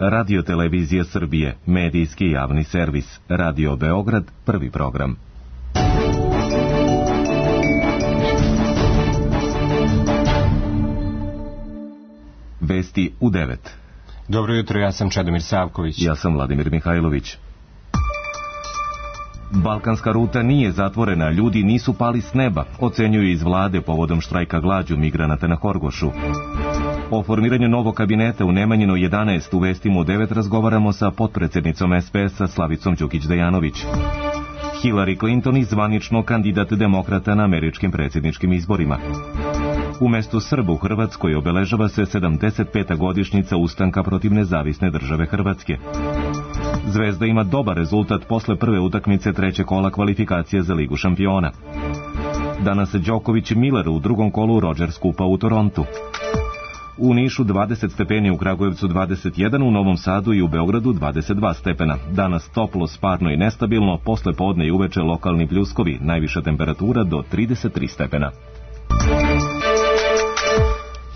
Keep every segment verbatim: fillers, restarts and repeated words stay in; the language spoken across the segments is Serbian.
Radio Televizija Srbije, medijski javni servis. Radio Beograd, prvi program. Vesti u devet. Dobro jutro, ja sam Čedomir Savković. Ja sam Vladimir Mihajlović. Balkanska ruta nije zatvorena, ljudi nisu pali s neba, ocenjuju iz vlade povodom štrajka glađu migranata na Horgošu. O formiranju novog kabineta u Nemanjinoj jedanaest u vestima u devet razgovaramo sa potpredsednicom es pe es-a Slavicom Đukić-Dejanović. Hillary Clinton i zvanično kandidat demokrata na američkim predsjedničkim izborima. Umesto Srba u Hrvatskoj obeležava se sedamdeset peta godišnjica ustanka protiv nezavisne države Hrvatske. Zvezda ima dobar rezultat posle prve utakmice trećeg kola kvalifikacije za Ligu šampiona. Danas Đoković i Miller u drugom kolu Rogers Kupa u Torontu. U Nišu dvadeset stepeni, u Kragujevcu dvadeset jedan, u Novom Sadu i u Beogradu dvadeset dva stepena. Danas toplo, sparno i nestabilno, posle podne i uveče lokalni pljuskovi, najviša temperatura do trideset tri stepena.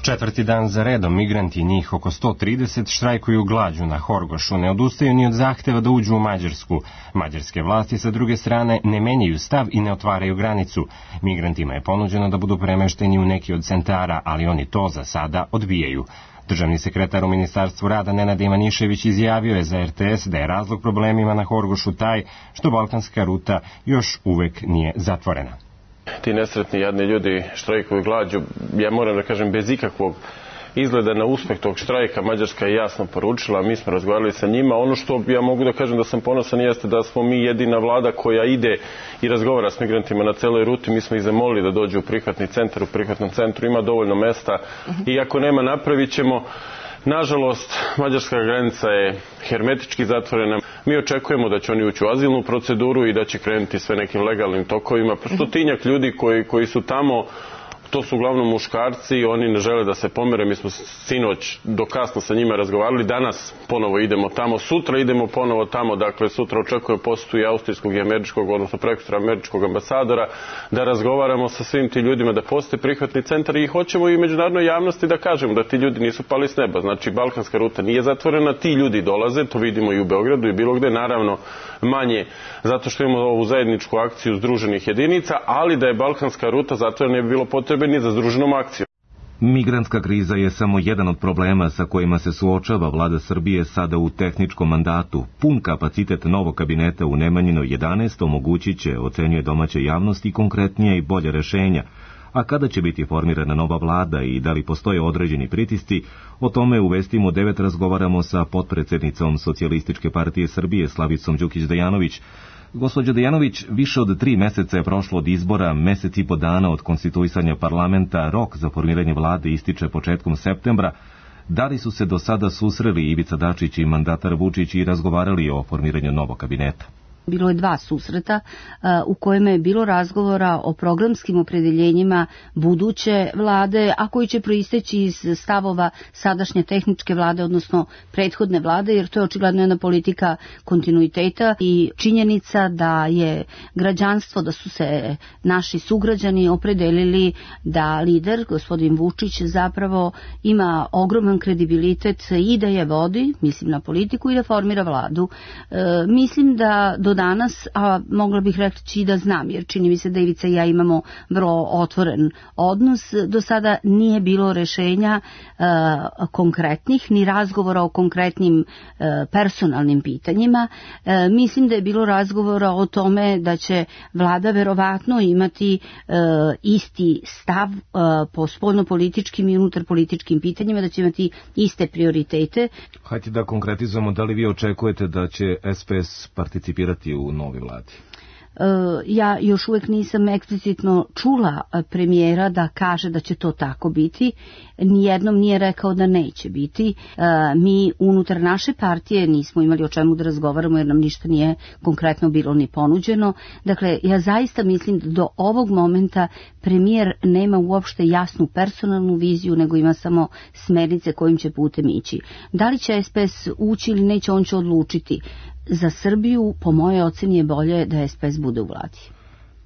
Četvrti dan za redom migranti, njih oko sto trideset, štrajkuju glađu na Horgošu, ne odustaju ni od zahteva da uđu u Mađarsku. Mađarske vlasti sa druge strane ne menjaju stav i ne otvaraju granicu. Migrantima je ponuđeno da budu premešteni u neki od centara, ali oni to za sada odbijaju. Državni sekretar u Ministarstvu rada Nenad Ivanišević izjavio je za er te es da je razlog problemima na Horgošu taj što balkanska ruta još uvek nije zatvorena. Ti nesretni jadni ljudi štrajkuju glađu, ja moram da kažem bez ikakvog izgleda na uspeh tog štrajka. Mađarska je jasno poručila, mi smo razgovarali sa njima. Ono što ja mogu da kažem da sam ponosan jeste da smo mi jedina vlada koja ide i razgovara s migrantima na celoj ruti. Mi smo ih zamolili da dođu u prihvatni centar, u prihvatnom centru ima dovoljno mesta i ako nema napravit ćemo. Nažalost, mađarska granica je hermetički zatvorena. Mi očekujemo da će oni ući u azilnu proceduru i da će krenuti sve nekim legalnim tokovima. Stotinjak ljudi koji, koji su tamo, to su uglavnom muškarci, oni ne žele da se pomere. Mi smo sinoć do kasno sa njima razgovarali, danas ponovo idemo tamo, sutra idemo ponovo tamo, dakle sutra očekujemo posjetu i austrijskog i američkog, odnosno prekosutra američkog ambasadora, da razgovaramo sa svim ti ljudima, da postoji prihvatni centar i hoćemo i međunarodnoj javnosti da kažemo da ti ljudi nisu pali s neba. Znači, balkanska ruta nije zatvorena, ti ljudi dolaze, to vidimo i u Beogradu i bilo gde, naravno manje, zato što imamo ovu zajedničku akciju združenih jedinica, ali da je balkanska ruta zatvorena ne bi bilo potrebno ni za združenom akcijom. Migrantska kriza je samo jedan od problema sa kojima se suočava vlada Srbije sada u tehničkom mandatu. Pun kapacitet novog kabineta u Nemanjinoj jedanaest omogućit će, ocenjuje domaća javnost, i konkretnije i bolje rešenja. A kada će biti formirana nova vlada i da li postoje određeni pritisci, o tome u vestima u devet razgovaramo sa potpredsednicom Socijalističke partije Srbije Slavicom Đukić-Dejanović. Gospođo Dejanović, više od tri meseca je prošlo od izbora, mesec i po dana od konstituisanja parlamenta, rok za formiranje vlade ističe početkom septembra. Da li su se do sada susreli Ivica Dačić i mandatar Vučić i razgovarali o formiranju novog kabineta? Bilo je dva susreta u kojima je bilo razgovora o programskim opredeljenjima buduće vlade, a koji će proisteći iz stavova sadašnje tehničke vlade, odnosno prethodne vlade, jer to je očigledno jedna politika kontinuiteta i činjenica da je građanstvo, da su se naši sugrađani opredelili da lider, gospodin Vučić, zapravo ima ogroman kredibilitet i da je vodi, mislim na politiku, i da formira vladu. E, mislim da do danas, a mogla bih reći da znam, jer čini mi se da Ivica i ja imamo vrlo otvoren odnos, do sada nije bilo rešenja e, konkretnih, ni razgovora o konkretnim e, personalnim pitanjima. E, mislim da je bilo razgovora o tome da će vlada verovatno imati e, isti stav e, po spoljnopolitičkim i unutarpolitičkim pitanjima, da će imati iste prioritete. Hajde da konkretizujemo, da li vi očekujete da će es pe es participirati u novoj vladi? Ja još uvek nisam eksplicitno čula premijera da kaže da će to tako biti. Nijednom nije rekao da neće biti. Mi unutar naše partije nismo imali o čemu da razgovaramo jer nam ništa nije konkretno bilo ni ponuđeno. Dakle, ja zaista mislim da do ovog momenta premijer nema uopšte jasnu personalnu viziju, nego ima samo smernice kojim će putem ići. Da li će es pe es ući ili neće, on će odlučiti. Za Srbiju, po mojoj oceni, je bolje da es pe es bude u vladi.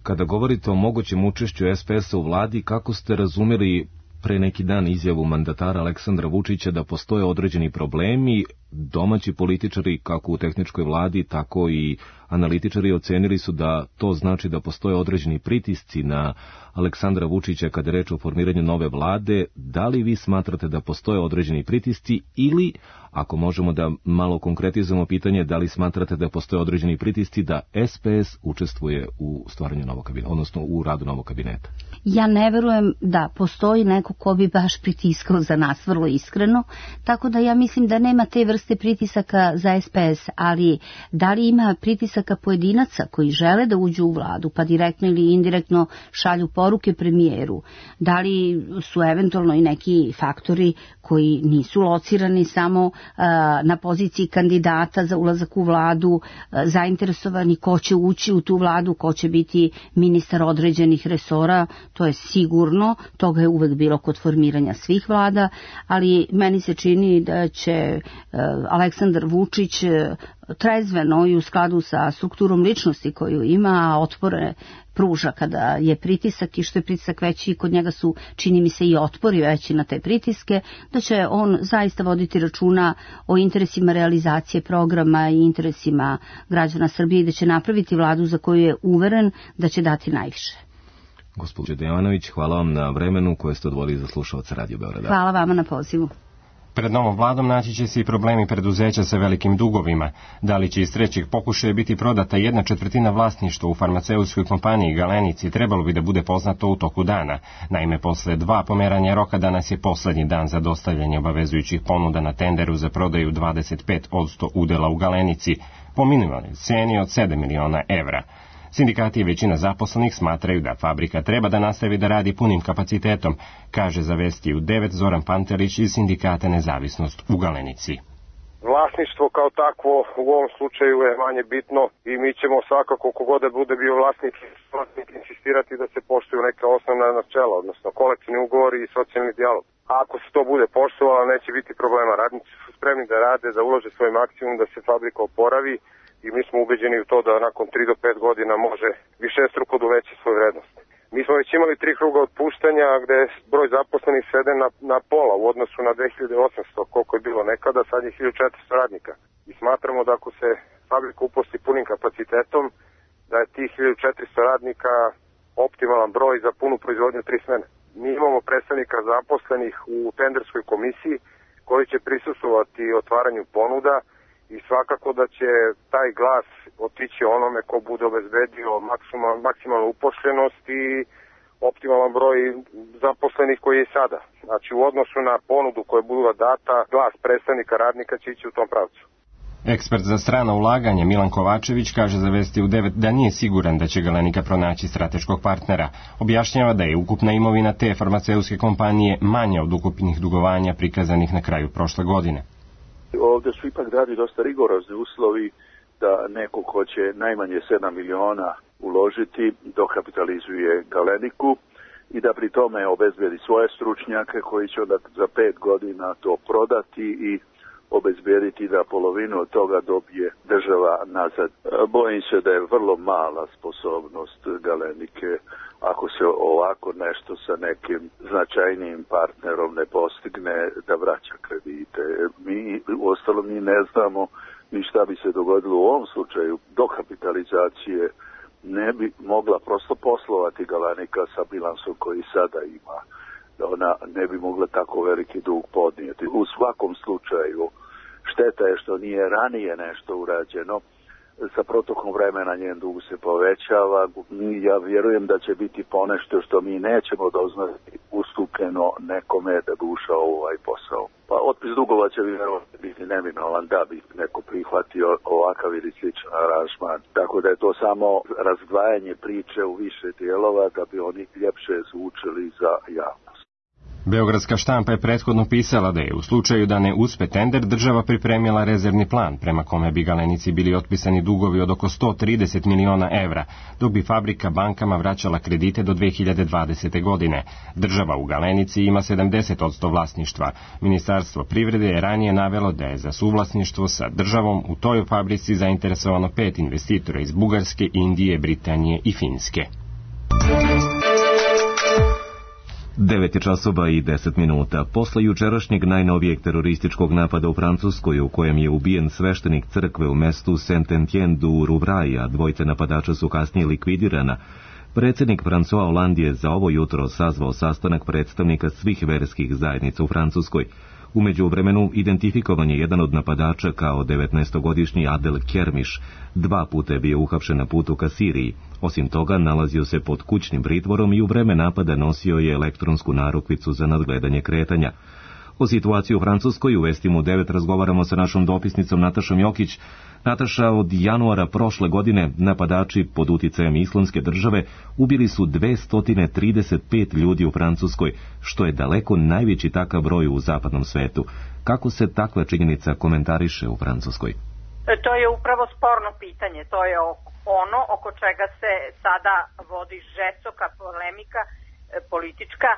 Kada govorite o mogućem učešću es pe es-a u vladi, kako ste razumeli pre neki dan izjavu mandatara Aleksandra Vučića da postoje određeni problemi domaći političari, kako u tehničkoj vladi, tako i analitičari ocenili su da to znači da postoje određeni pritisci na Aleksandra Vučića kada je reč o formiranju nove vlade. Da li vi smatrate da postoje određeni pritisci ili, ako možemo da malo konkretizujemo pitanje, da li smatrate da postoje određeni pritisci da S P S učestvuje u stvaranju novog kabineta, odnosno u radu novog kabineta? Ja ne verujem da postoji neko ko bi baš pritiskao za nas, vrlo iskreno, tako da ja mislim da nema te vrste pritisaka za S P S, ali da li ima pritisaka pojedinaca koji žele da uđu u vladu, pa direktno ili indirektno šalju poruke premijeru, da li su eventualno i neki faktori koji nisu locirani samo uh, na poziciji kandidata za ulazak u vladu, uh, zainteresovani ko će ući u tu vladu, ko će biti ministar određenih resora, to je sigurno, toga je uvek bilo kod formiranja svih vlada, ali meni se čini da će uh, Aleksandar Vučić uh, trezveno i u skladu sa strukturom ličnosti koju ima, otpore pruža kada je pritisak i što je pritisak veći, kod njega su, čini mi se, i otpori veći na te pritiske, da će on zaista voditi računa o interesima realizacije programa i interesima građana Srbije i da će napraviti vladu za koju je uveren da će dati najviše. Gospođo Dejanović, hvala vam na vremenu koje ste odvojili za slušaoce Radio Beograda. Hvala vama na pozivu. Pred novom vladom naći će se i problemi preduzeća sa velikim dugovima. Da li će iz trećeg pokušaja biti prodata jedna četvrtina vlasništva u farmaceutskoj kompaniji Galenici, trebalo bi da bude poznato u toku dana. Naime, posle dva pomeranja roka danas je poslednji dan za dostavljanje obavezujućih ponuda na tenderu za prodaju dvadeset pet posto udela u Galenici po minimalnoj ceni od sedam miliona evra. Sindikati i većina zaposlenih smatraju da fabrika treba da nastavi da radi punim kapacitetom, kaže za Vesti u devet Zoran Pantelić iz sindikata Nezavisnost u Galenici. Vlasništvo kao takvo u ovom slučaju je manje bitno i mi ćemo svakako, kogod da bude bio vlasnik, vlasnik insistirati da se poštuju neka osnovna načela, odnosno kolektivni ugovori i socijalni dijalog. A ako se to bude poštovalo, neće biti problema. Radnici su spremni da rade, da ulože svoj maksimum, da se fabrika oporavi i mi smo ubeđeni u to da nakon tri do pet godina može višestruko doveći svoju vrednost. Mi smo već imali tri kruga otpuštanja gde broj zaposlenih sveden na, na pola u odnosu na dve hiljade osamsto, koliko je bilo nekada, sad je hiljadu četiristo radnika. I smatramo da ako se fabrika uposli punim kapacitetom, da je tih hiljadu četiristo radnika optimalan broj za punu proizvodnju tri smene. Mi imamo predstavnika zaposlenih u tenderskoj komisiji koji će prisustvovati otvaranju ponuda i svakako da će taj glas otići onome ko bude obezbedio maksimal, maksimalnu upošljenost i optimalan broj zaposlenih koji je sada. Znači u odnosu na ponudu koja bude data, glas predstavnika radnika će ići u tom pravcu. Ekspert za strano ulaganje Milan Kovačević kaže za Vesti u devet da nije siguran da će Galenika pronaći strateškog partnera. Objašnjava da je ukupna imovina te farmaceutske kompanije manja od ukupnih dugovanja prikazanih na kraju prošle godine. Ovdje su ipak dati dosta rigorozni uslovi da neko ko će najmanje sedam miliona uložiti dokapitalizuje Galeniku i da pri tome obezbedi svoje stručnjake koji će onda za pet godina to prodati i obezbediti da polovinu od toga dobije država nazad. Bojim se da je vrlo mala sposobnost Galenike ako se ovako nešto sa nekim značajnijim partnerom ne postigne da vraća kredite. Mi uostalom mi ne znamo ni šta bi se dogodilo u ovom slučaju. Dokapitalizacije ne bi mogla prosto poslovati Galenika sa bilansom koji sada ima. Ona ne bi mogla tako veliki dug podnijeti. U svakom slučaju šteta je što nije ranije nešto urađeno. Sa protokom vremena njen dug se povećava. Ja vjerujem da će biti ponešto što mi nećemo doznati ustupljeno nekome da bi ušao u ovaj posao. Pa otpis dugova će vjerovatno biti neminovan da bi neko prihvatio ovakav ili sličan aranžman. Tako da je to samo razdvajanje priče u više dijelova da bi oni ljepše zvučili za javnost. Beogradska štampa je prethodno pisala da je u slučaju da ne uspe tender država pripremila rezervni plan prema kome bi Galenici bili otpisani dugovi od oko sto trideset miliona evra, dok bi fabrika bankama vraćala kredite do dve hiljade dvadesete. godine. Država u Galenici ima sedamdeset posto vlasništva. Ministarstvo privrede je ranije navelo da je za suvlasništvo sa državom u toj fabrici zainteresovano pet investitora iz Bugarske, Indije, Britanije i Finske. devet je časova i deset minuta. Posle jučerašnjeg najnovijeg terorističkog napada u Francuskoj, u kojem je ubijen sveštenik crkve u mestu Saint-Étienne du Rouvray, a dvojice napadača su kasnije likvidirana, predsjednik François Hollande je za ovo jutro sazvao sastanak predstavnika svih verskih zajednica u Francuskoj. U međuvremenu identifikovan je jedan od napadača kao devetnaestogodišnji Adel Kermiš. Dva puta je bio uhapšen na putu ka Siriji. Osim toga, nalazio se pod kućnim pritvorom i u vreme napada nosio je elektronsku narukvicu za nadgledanje kretanja. O situaciji u Francuskoj u Vestima u devet razgovaramo sa našom dopisnicom Natašom Jokić. Nataša, od januara prošle godine napadači pod uticajem Islamske države ubili su dvesta trideset pet ljudi u Francuskoj, što je daleko najveći takav broj u zapadnom svetu. Kako se takva činjenica komentariše u Francuskoj? To je upravo sporno pitanje. To je ono oko čega se sada vodi žestoka polemika politička,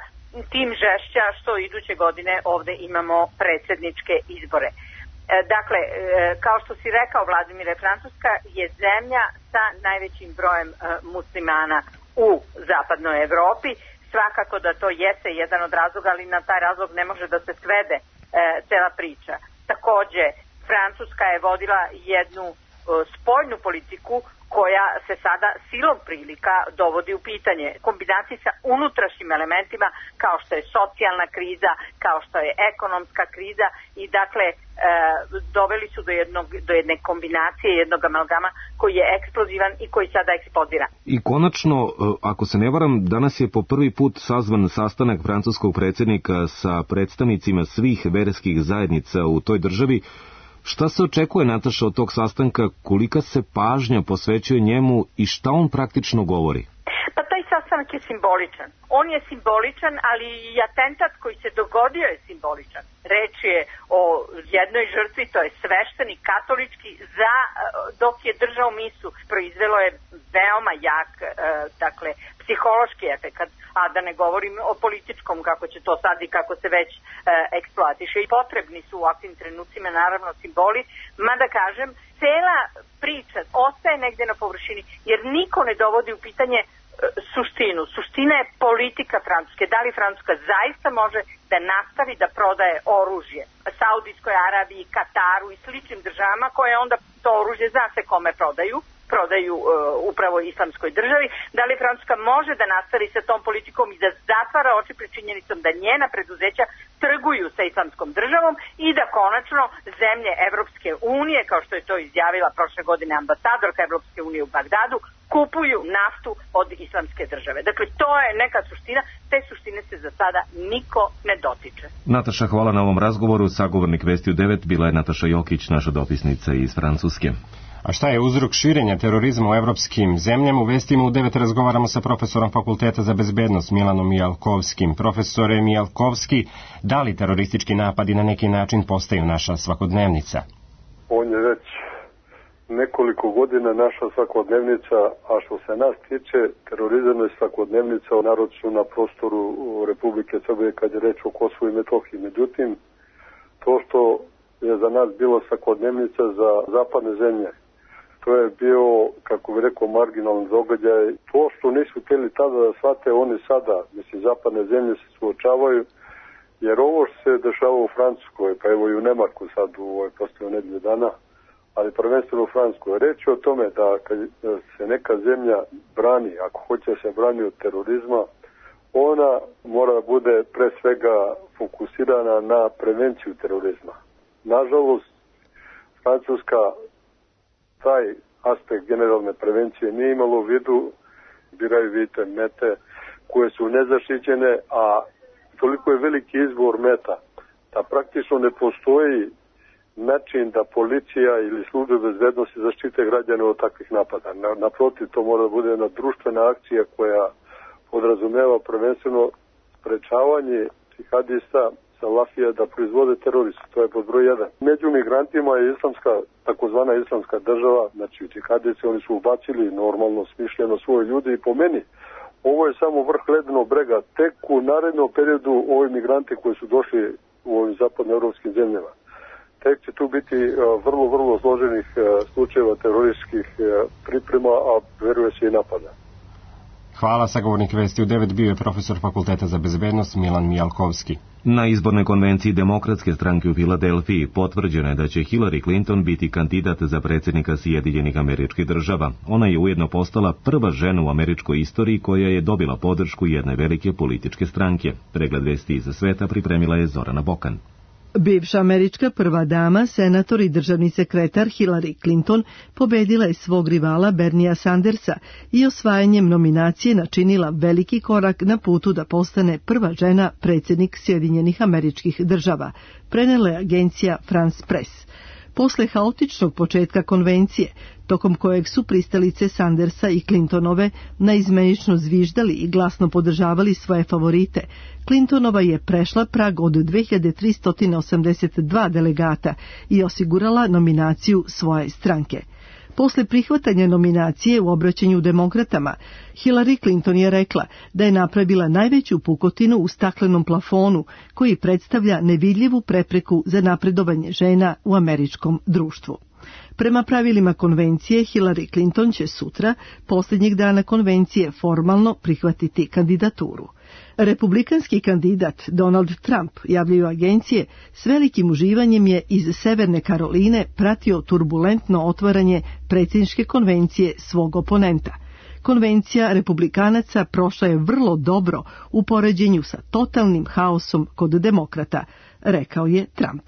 tim žešća što iduće godine ovde imamo predsjedničke izbore. Dakle, kao što si rekao, Vladimire, Francuska je zemlja sa najvećim brojem muslimana u zapadnoj Evropi. Svakako da to jeste jedan od razloga, ali na taj razlog ne može da se svede cela priča. Takođe, Francuska je vodila jednu spoljnu politiku koja se sada silom prilika dovodi u pitanje. Kombinaciji sa unutrašnjim elementima kao što je socijalna kriza, kao što je ekonomska kriza i dakle e, doveli su do, jednog, do jedne kombinacije, jednog amalgama koji je eksplozivan i koji sada eksplodira. I konačno, ako se ne varam, danas je po prvi put sazvan sastanak francuskog predsjednika sa predstavnicima svih verskih zajednica u toj državi. Šta se očekuje, Nataša, od tog sastanka, kolika se pažnja posvećuje njemu i šta on praktično govori? Pa taj sastanak je simboličan. On je simboličan, ali i atentat koji se dogodio je simboličan. Reč je o jednoj žrtvi, to je sveštenik katolički, za, dok je držao misu, proizvelo je veoma jak, dakle, psihološki efekat, a da ne govorim o političkom, kako će to sad i kako se već e, eksploatiše. I potrebni su u ovakvim trenucima naravno simboli, mada kažem, cela priča ostaje negde na površini, jer niko ne dovodi u pitanje e, suštinu. Suština je politika Francuske. Da li Francuska zaista može da nastavi da prodaje oružje Saudijskoj Arabiji, Kataru i sličnim državama koje onda to oružje zna se kome prodaju, prodaju uh, upravo islamskoj državi, da li Francuska može da nastavi sa tom politikom i da zatvara oči pred činjenicom da njena preduzeća trguju sa islamskom državom i da konačno zemlje Evropske unije, kao što je to izjavila prošle godine ambasadorka Evropske unije u Bagdadu, kupuju naftu od islamske države. Dakle, to je neka suština, te suštine se za sada niko ne dotiče. Nataša, hvala na ovom razgovoru. Sagovornik Vesti u devet bila je Nataša Jokić, naša dopisnica iz Francuske. A šta je uzrok širenja terorizma u evropskim zemljama? U Vestima u devet razgovaramo sa profesorom Fakulteta za bezbednost Milanom Mijalkovskim. Profesore Mijalkovski, da li teroristički napadi na neki način postaju naša svakodnevnica? On je već nekoliko godina naša svakodnevnica, a što se nas tiče, terorizam je svakodnevnica naročito na prostoru Republike Srbije kad je reč o Kosovu i Metohiji. Međutim, to što je za nas bilo svakodnevnica za zapadne zemlje, to je bio, kako bi rekao, marginalni događaj. To što nisu htjeli tada da shvate, oni sada, mislim, zapadne zemlje se suočavaju, jer ovo što se dešava u Francuskoj, pa evo i u Nemačku sad u ovoj postoje nedelje dana, ali prvenstveno u Francuskoj, reći o tome da kad se neka zemlja brani, ako hoće da se brani od terorizma, ona mora da bude pre svega fokusirana na prevenciju terorizma. Nažalost, Francuska taj aspekt generalne prevencije nije imalo u vidu, biraju, vidite, mete koje su nezaštićene, a toliko je veliki izbor meta da praktično ne postoji način da policija ili službe bezbednosti zaštite građane od takvih napada. Naprotiv, to mora da bude jedna društvena akcija koja podrazumeva prvenstveno sprečavanje džihadista, salafija da proizvode teroristi. To je pod broj jedan. Među migrantima je islamska, takozvana islamska država, znači džihadisti, oni su ubacili normalno smišljeno svoje ljudi i po meni ovo je samo vrh ledenog brega. Tek u narednom periodu ovi migranti koji su došli u ovim zapadnoevropskim zemljama, tek će tu biti vrlo, vrlo složenih slučajeva terorističkih priprema, a veruje se i napada. Hvala, sagovornik Vesti u devet bio je profesor Fakulteta za bezbednost Milan Mijalkovski. Na izbornoj konvenciji Demokratske stranke u Filadelfiji potvrđeno je da će Hillary Clinton biti kandidat za predsjednika Sjedinjenih Američkih Država. Ona je ujedno postala prva žena u američkoj istoriji koja je dobila podršku jedne velike političke stranke. Pregled vesti iz sveta pripremila je Zorana Bokan. Bivša američka prva dama, senator i državni sekretar Hillary Clinton pobedila je svog rivala Bernia Sandersa i osvajanjem nominacije načinila veliki korak na putu da postane prva žena predsjednik Sjedinjenih Američkih Država, prenela je agencija France Press. Posle haotičnog početka konvencije, tokom kojeg su pristalice Sandersa i Clintonove naizmenično zviždali i glasno podržavali svoje favorite, Clintonova je prešla prag od dve hiljade tristo osamdeset dva delegata i osigurala nominaciju svoje stranke. Posle prihvatanja nominacije u obraćanju demokratama, Hillary Clinton je rekla da je napravila najveću pukotinu u staklenom plafonu koji predstavlja nevidljivu prepreku za napredovanje žena u američkom društvu. Prema pravilima konvencije, Hillary Clinton će sutra, posljednjeg dana konvencije, formalno prihvatiti kandidaturu. Republikanski kandidat Donald Trump, javljaju agencije, s velikim uživanjem je iz Severne Karoline pratio turbulentno otvaranje predsjedničke konvencije svog oponenta. Konvencija republikanaca prošla je vrlo dobro u poređenju sa totalnim haosom kod demokrata, rekao je Trump.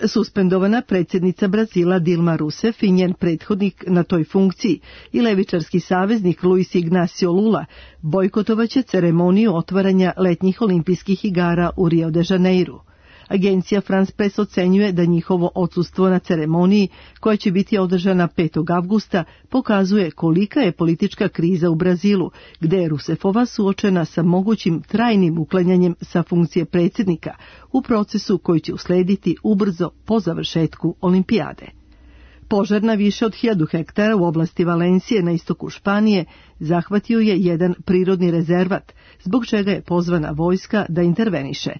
Suspendovana predsjednica Brazila Dilma Rousseff i njen prethodnik na toj funkciji i levičarski saveznik Luis Ignacio Lula bojkotovaće ceremoniju otvaranja letnjih olimpijskih igara u Rio de Janeiru. Agencija France Press ocenjuje da njihovo odsustvo na ceremoniji, koja će biti održana petog avgusta, pokazuje kolika je politička kriza u Brazilu, gde je Rousseffova suočena sa mogućim trajnim uklanjanjem sa funkcije predsjednika u procesu koji će uslediti ubrzo po završetku olimpijade. Požar na više od hiljadu hektara u oblasti Valencije na istoku Španije zahvatio je jedan prirodni rezervat, zbog čega je pozvana vojska da interveniše.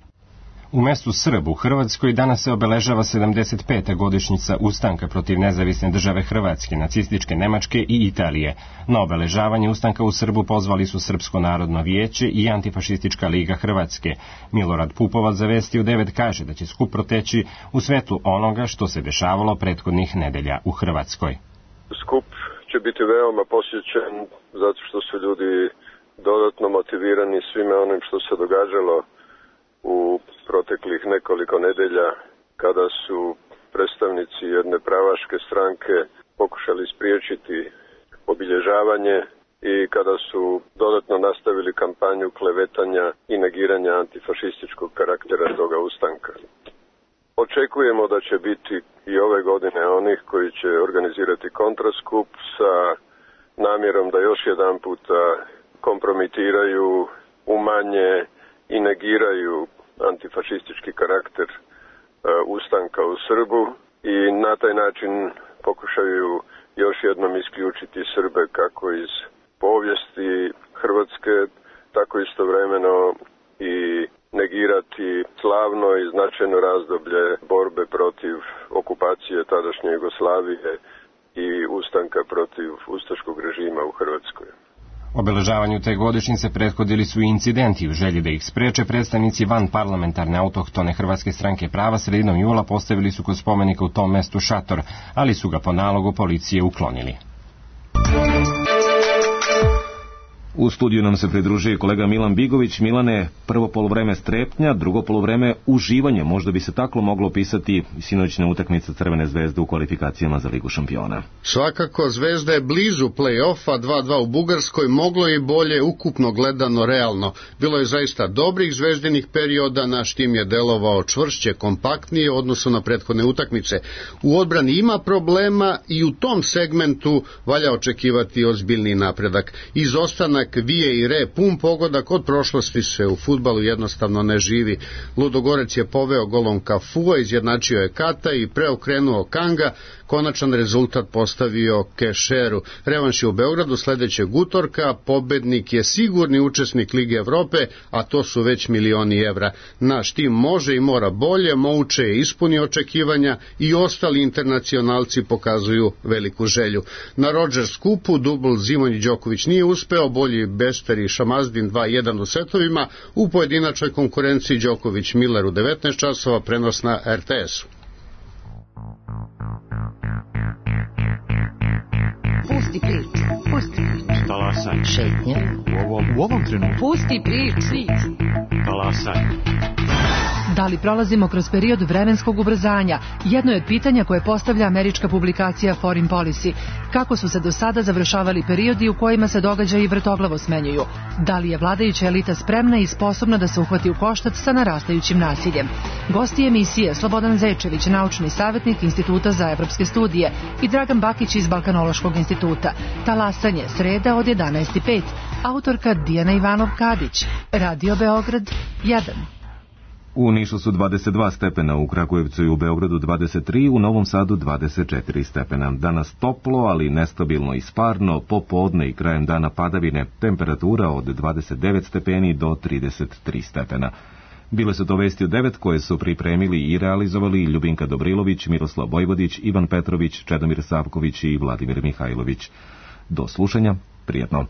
U mestu Srb u Hrvatskoj danas se obeležava sedamdeset peta godišnjica ustanka protiv nezavisne države Hrvatske, nacističke Nemačke i Italije. Na obeležavanje ustanka u Srbu pozvali su Srpsko narodno vijeće i Antifašistička liga Hrvatske. Milorad Pupovac za Vesti u devet kaže da će skup proteći u svetlu onoga što se dešavalo prethodnih nedelja u Hrvatskoj. Skup će biti veoma posjećen zato što su ljudi dodatno motivirani svime onim što se događalo u proteklih nekoliko nedelja, kada su predstavnici jedne pravaške stranke pokušali spriječiti obilježavanje i kada su dodatno nastavili kampanju klevetanja i negiranja antifašističkog karaktera toga ustanka. Očekujemo da će biti i ove godine onih koji će organizirati kontraskup sa namjerom da još jedan puta kompromitiraju, umanje i negiraju antifašistički karakter uh, ustanka u Srbu i na taj način pokušaju još jednom isključiti Srbe kako iz povijesti Hrvatske, tako istovremeno i negirati slavno i značajno razdoblje borbe protiv okupacije tadašnje Jugoslavije i ustanka protiv ustaškog režima u Hrvatskoj. Obeležavanju te godišnjice prethodili su i incidenti. U želji da ih spreče, predstavnici van parlamentarne autohtone Hrvatske stranke prava sredinom jula postavili su kod spomenika u tom mestu šator, ali su ga po nalogu policije uklonili. U studiju nam se pridružuje kolega Milan Bigović. Milane, prvo poluvreme strepnja, drugo poluvreme uživanje. Možda bi se tako moglo opisati sinoćna utakmica Crvene zvezde u kvalifikacijama za Ligu šampiona. Svakako, Zvezda je blizu play-offa, dva dva u Bugarskoj, moglo je i bolje ukupno gledano realno. Bilo je zaista dobrih zvezdinih perioda, naš tim je delovao čvršće, kompaktnije u odnosu na prethodne utakmice. U odbrani ima problema i u tom segmentu valja očekivati ozbiljni napredak. Izostanak Vije i Re, pun pogodak od prošlosti se u fudbalu jednostavno ne živi. Ludogorec je poveo golom Kafua, izjednačio je Kata i preokrenuo Kanga, konačan rezultat postavio Kešeru. Revanš je u Beogradu sledećeg utorka, pobednik je sigurni učesnik Lige Evrope, a to su već milioni evra. Naš tim može i mora bolje, Mouče je ispunio očekivanja i ostali internacionalci pokazuju veliku želju. Na Rodgers kupu dubl Zimonji Đoković nije uspeo, bolji najbolji Bester i Šamazdin dva jedan u setovima, u pojedinačnoj konkurenciji Đoković Miller u devetnaest časova, prenos na er te esu. Pusti prič, pusti prič. Talasaj. Šetnja. U ovom, u ovom trenutku. Pusti prič. Talasaj. Da li prolazimo kroz period vremenskog ubrzanja? Jedno je od pitanja koje postavlja američka publikacija Foreign Policy. Kako su se do sada završavali periodi u kojima se događaji vrtoglavo smenjuju? Da li je vladajuća elita spremna i sposobna da se uhvati u koštac sa narastajućim nasiljem? Gosti emisije Slobodan Zečević, naučni savjetnik Instituta za evropske studije, i Dragan Bakić iz Balkanološkog instituta. Talasanje, sreda od jedanaest i pet. Autorka Dijana Ivanov-Kadić. Radio Beograd jedan. U Nišu su dvadeset dva stepena, u Kragujevcu i u Beogradu dvadeset tri, u Novom Sadu dvadeset četiri stepena. Danas toplo, ali nestabilno i sparno, popodne i krajem dana padavine, temperatura od dvadeset devet stepeni do trideset tri stepena. Bile su to vesti od devet koje su pripremili i realizovali Ljubinka Dobrilović, Miroslav Vojvodić, Ivan Petrović, Čedomir Savković i Vladimir Mihajlović. Do slušanja, prijetno.